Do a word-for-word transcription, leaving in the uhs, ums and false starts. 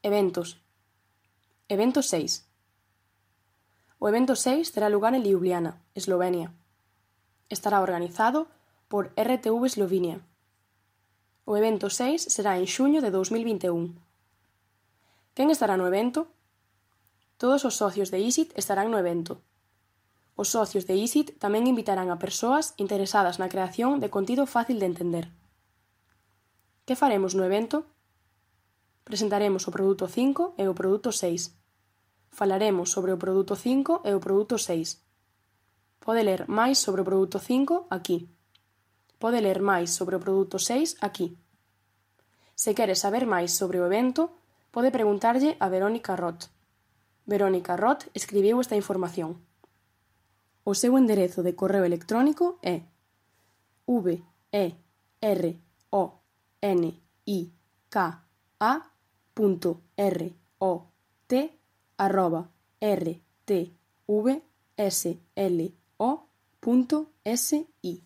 Eventos. Evento seis. O evento seis terá lugar en Ljubljana, Eslovenia. Estará organizado por R T V Eslovenia. O evento seis será en xuño de dous mil vinte e un. Quen estará no evento? Todos os socios de I S I T estarán no evento. Os socios de I S I T tamén invitarán a persoas interesadas na creación de contido fácil de entender. Que faremos no evento? Presentaremos o produto cinco e o produto seis. Falaremos sobre o produto cinco e o produto seis. Pode ler máis sobre o produto cinco aquí. Pode ler máis sobre o produto seis aquí. Se quere saber máis sobre o evento, pode preguntarlle a Verónica Roth. Verónica Roth escribiu esta información. O seu enderezo de correo electrónico é v e r o n i k a punto r o t arroba r t v s l o punto s i.